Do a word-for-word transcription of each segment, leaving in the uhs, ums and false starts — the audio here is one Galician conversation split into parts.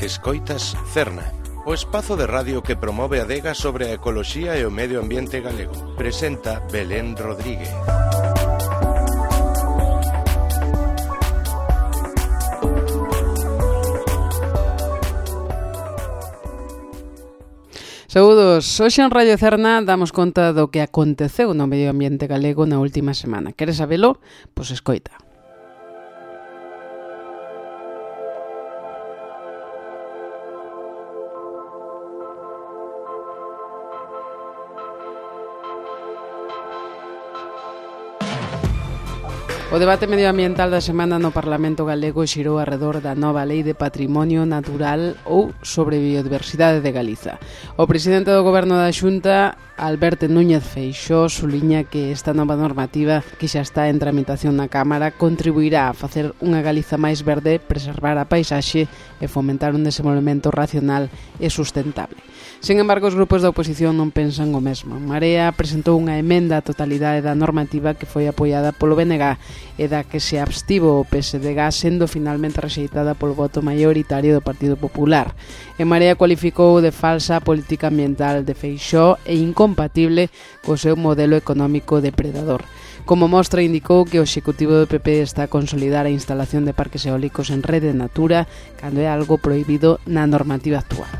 Escoitas Cerna, o espazo de radio que promove a adega sobre a ecoloxía e o medio ambiente galego. Presenta Belén Rodríguez. Saúdos, hoxe en Radio Cerna damos conta do que aconteceu no medio ambiente galego na última semana. Queres sabelo? Pois escoita. O debate medioambiental da semana no Parlamento galego xirou arredor da nova Lei de Patrimonio Natural ou sobre Biodiversidade de Galiza. O presidente do Goberno da Xunta, Alberto Núñez Feixóo, suliña que esta nova normativa que xa está en tramitación na Cámara contribuirá a facer unha Galiza máis verde, preservar a paisaxe e fomentar un desenvolvemento racional e sustentable. Sen embargo, os grupos da oposición non pensan o mesmo. Marea presentou unha emenda á totalidade da normativa que foi apoiada polo B N G e da que se abstivo o P S D G, sendo finalmente rexeitada polo voto maioritario do Partido Popular. E Marea cualificou de falsa a política ambiental de Feixóo e incompatible co seu modelo económico depredador. Como mostra, indicou que o Executivo do P P está a consolidar a instalación de parques eólicos en Rede Natura cando é algo prohibido na normativa actual.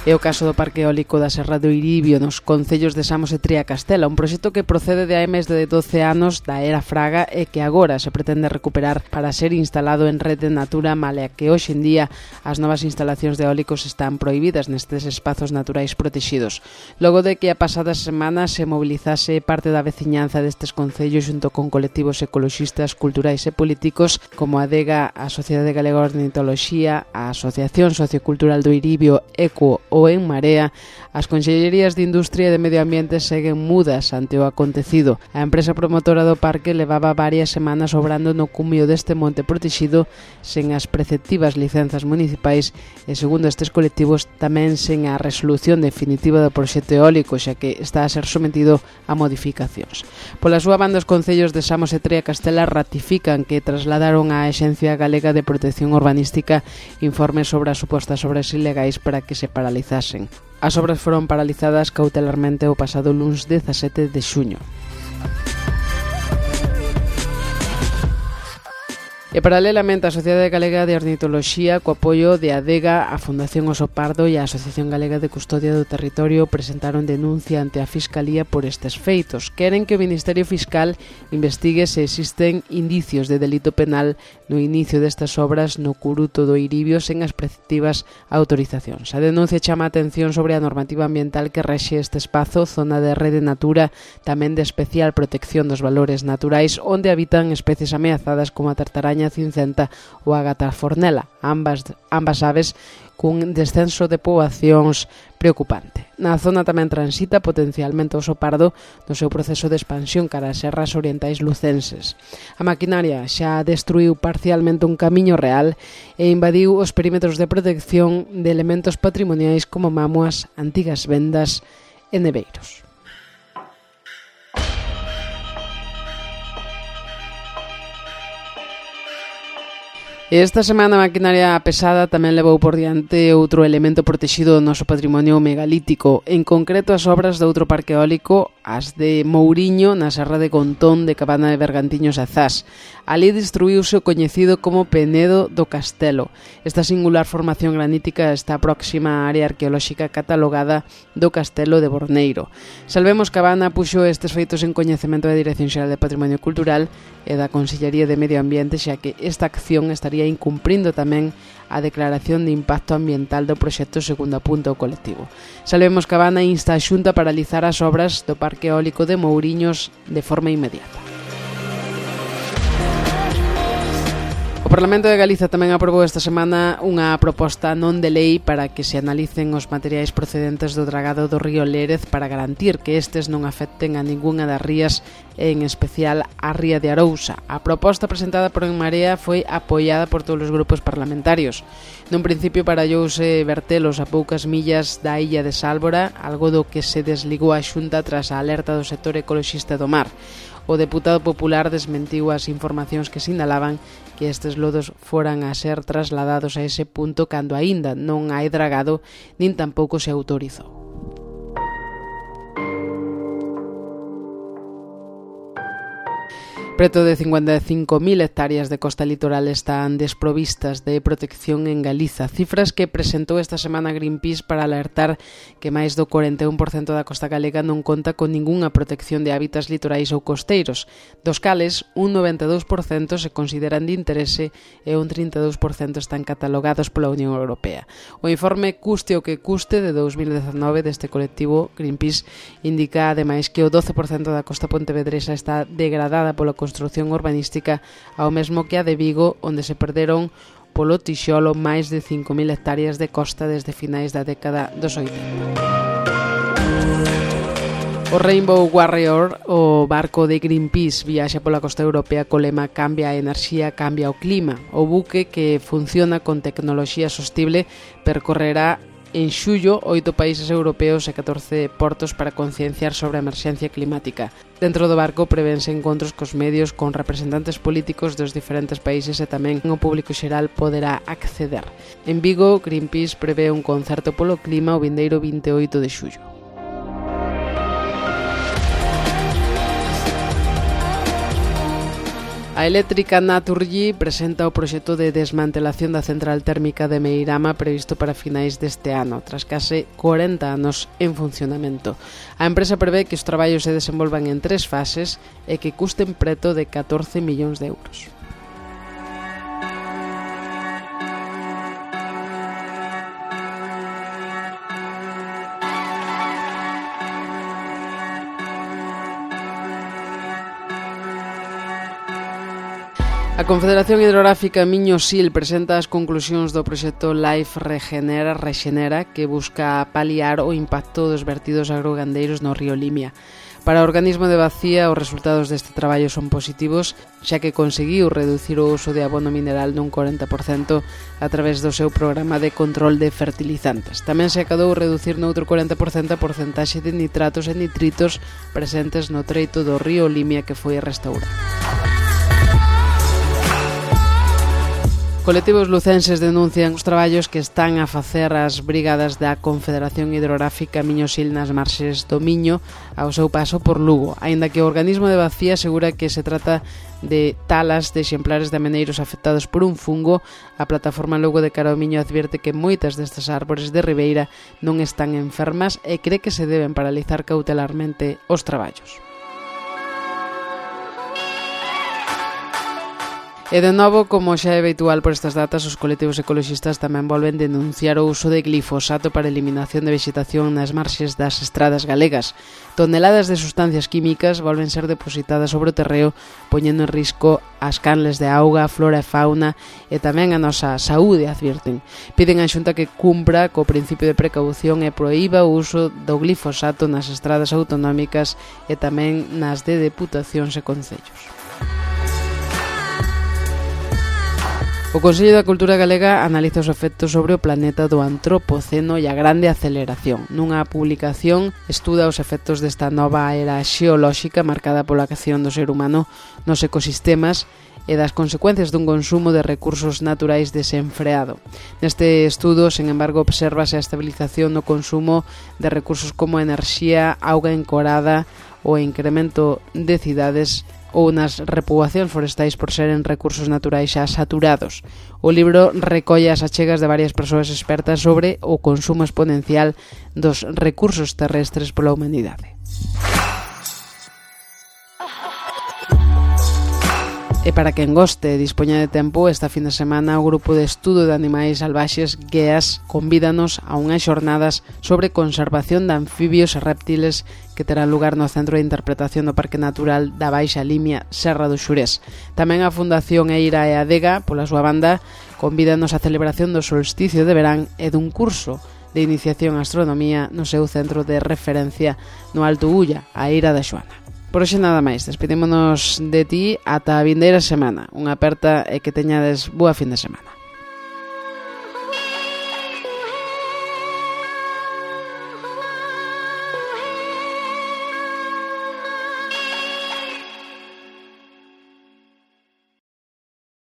É o caso do Parque Eólico da Serra do Iribio nos concellos de Samos e Triacastela, un proxecto que procede de hai máis de doce anos da era Fraga e que agora se pretende recuperar para ser instalado en Rede Natura, malea que hoxe en día as novas instalacións de eólicos están prohibidas nestes espazos naturais protegidos. Logo de que a pasada semana se mobilizase parte da veciñanza destes concellos xunto con colectivos ecoloxistas, culturais e políticos como a ADEGA, a Sociedade Galega de Ornitoloxía, a Asociación Sociocultural do Iribio, ECO ou en Marea, as Consellerías de Industria e de Medio Ambiente seguen mudas ante o acontecido. A empresa promotora do parque levaba varias semanas obrando no cumio deste monte protegido sen as preceptivas licenzas municipais e, segundo estes colectivos, tamén sen a resolución definitiva do proxecto eólico, xa que está a ser sometido a modificacións. Pola súa banda, os concellos de Samos e Triacastela ratifican que trasladaron á Axencia Galega de Protección Urbanística informes sobre as supostas obras ilegais para que se paralizasen. As obras foron paralizadas cautelarmente o pasado luns dezasete de xuño. E paralelamente a Sociedade Galega de Ornitoloxía, co apoio de ADEGA, a Fundación Oso Pardo e a Asociación Galega de Custodia do Territorio presentaron denuncia ante a Fiscalía por estes feitos. Queren que o Ministerio Fiscal investigue se existen indicios de delito penal no inicio destas obras no Curuto do Iribio sen as preceptivas autorizacións. A denuncia chama a atención sobre a normativa ambiental que rexe este espazo, zona de Rede Natura, tamén de especial protección dos valores naturais, onde habitan especies ameazadas como a tartaraña cincenta ou a gata fornela, ambas, ambas aves cun descenso de poboacións preocupante. Na zona tamén transita potencialmente o oso pardo no seu proceso de expansión cara as serras orientais lucenses. A maquinaria xa destruiu parcialmente un camiño real e invadiu os perímetros de protección de elementos patrimoniais como mámoas, antigas vendas e neveiros. Esta semana a maquinaria pesada tamén levou por diante outro elemento protexido do noso patrimonio megalítico, en concreto as obras de outro parque eólico, as de Mouriño, na Serra de Contón de Cabana de Bergantiños e Zas. Ali destruíuse o coñecido como Penedo do Castelo. Esta singular formación granítica está próxima á área arqueolóxica catalogada do Castelo de Borneiro. Salvemos Cabana puxo estes feitos en coñecemento da Dirección Xeral de Patrimonio Cultural e da Consellería de Medio Ambiente, xa que esta acción estaría incumprindo tamén a declaración de impacto ambiental do proxecto, segundo apunta o colectivo. Salvemos Cabana insta a Xunta a paralizar as obras do Parque Eólico de Mouriños de forma inmediata. O Parlamento de Galiza tamén aprobou esta semana unha proposta non de lei para que se analicen os materiais procedentes do dragado do río Lérez para garantir que estes non afecten a ningunha das rías, en especial a ría de Arousa. A proposta presentada por En Marea foi apoiada por todos os grupos parlamentarios. Nun principio parallouse vertelos a poucas millas da illa de Sálvora, algo do que se desligou a Xunta tras a alerta do sector ecoloxista do mar. o deputado popular desmentiu as informacións que sinalaban que estes lodos foran a ser trasladados a ese punto cando aínda non hai dragado nin tampouco se autorizou. Preto de cincuenta e cinco mil hectáreas de costa litoral están desprovistas de protección en Galiza, cifras que presentou esta semana Greenpeace para alertar que máis do cuarenta e un por cento da costa galega non conta con ningunha protección de hábitats litorais ou costeiros, dos cales un noventa e dous por cento se consideran de interese e un trinta e dous por cento están catalogados pola Unión Europea. O informe Custe o que custe de dous mil dezenove deste colectivo Greenpeace indica ademais que o doce por cento da costa pontevedresa está degradada pola construción urbanística, ao mesmo que a de Vigo, onde se perderon polo tixolo máis de cinco mil hectáreas de costa desde finais da década dos oitenta. O Rainbow Warrior, o barco de Greenpeace, viaxa pola costa europea co lema Cambia a enerxía, cambia o clima. O buque, que funciona con tecnoloxía sostible, percorrerá en xullo oito países europeos e catorce portos para concienciar sobre a emerxencia climática. Dentro do barco prevense encontros cos medios con representantes políticos dos diferentes países e tamén o público xeral poderá acceder. En Vigo, Greenpeace prevé un concerto polo clima o vindeiro vinte e oito de xullo. A eléctrica Naturgy presenta o proxecto de desmantelación da central térmica de Meirama previsto para finais deste ano, tras case corenta anos en funcionamento. A empresa prevé que os traballos se desenvolvan en tres fases e que custen preto de catorce millóns de euros. A Confederación Hidrográfica Miño-Sil presenta as conclusións do proxecto Life Regenera Rexenera, que busca paliar o impacto dos vertidos agrogandeiros no río Limia. Para o organismo de Bacía, os resultados deste traballo son positivos, xa que conseguiu reducir o uso de abono mineral nun corenta por cento a través do seu programa de control de fertilizantes. Tamén se acadou reducir noutro corenta por cento a porcentaxe de nitratos e nitritos presentes no treito do río Limia que foi restaurado. Colectivos lucenses denuncian os traballos que están a facer as brigadas da Confederación Hidrográfica Miño-Sil nas marxes do Miño ao seu paso por Lugo, aínda que o organismo de Bacía asegura que se trata de talas de exemplares de ameneiros afectados por un fungo. A plataforma Lugo de Cara ao Miño advierte que moitas destas árbores de ribeira non están enfermas e cree que se deben paralizar cautelarmente os traballos. E de novo, como xa é habitual por estas datas, os colectivos ecoloxistas tamén volven denunciar o uso de glifosato para eliminación de vegetación nas marxes das estradas galegas. Toneladas de sustancias químicas volven ser depositadas sobre o terreo, poñendo en risco as canles de auga, flora e fauna e tamén a nosa saúde, advirten. Piden á Xunta que cumpra co principio de precaución e proíba o uso do glifosato nas estradas autonómicas e tamén nas de deputacións e concellos. O Consello da Cultura Galega analiza os efectos sobre o planeta do antropoceno e a grande aceleración. Nunha publicación estuda os efectos desta nova era xeolóxica marcada pola acción do ser humano nos ecosistemas e das consecuencias dun consumo de recursos naturais desenfreado. Neste estudo, sen embargo, obsérvase a estabilización no consumo de recursos como enerxía, auga encorada, o incremento de cidades ou nas repoboacións forestais por seren recursos naturais xa saturados. O libro recolle as achegas de varias persoas expertas sobre o consumo exponencial dos recursos terrestres pola humanidade. E para quen goste e dispoña de tempo, esta fin de semana o Grupo de Estudo de Animais Salvaxes GEAS convídanos a unhas xornadas sobre conservación de anfibios e reptiles que terán lugar no Centro de Interpretación do Parque Natural da Baixa Limia, Serra do Xurés. Tamén a Fundación Eira e Adega, pola súa banda, convídanos á celebración do solsticio de verán e dun curso de iniciación a astronomía no seu centro de referencia no Alto Ulla, a Eira da Xoana. Por hoxe nada máis, despedímonos de ti ata a vindeira semana. Unha aperta e que teñades boa fin de semana.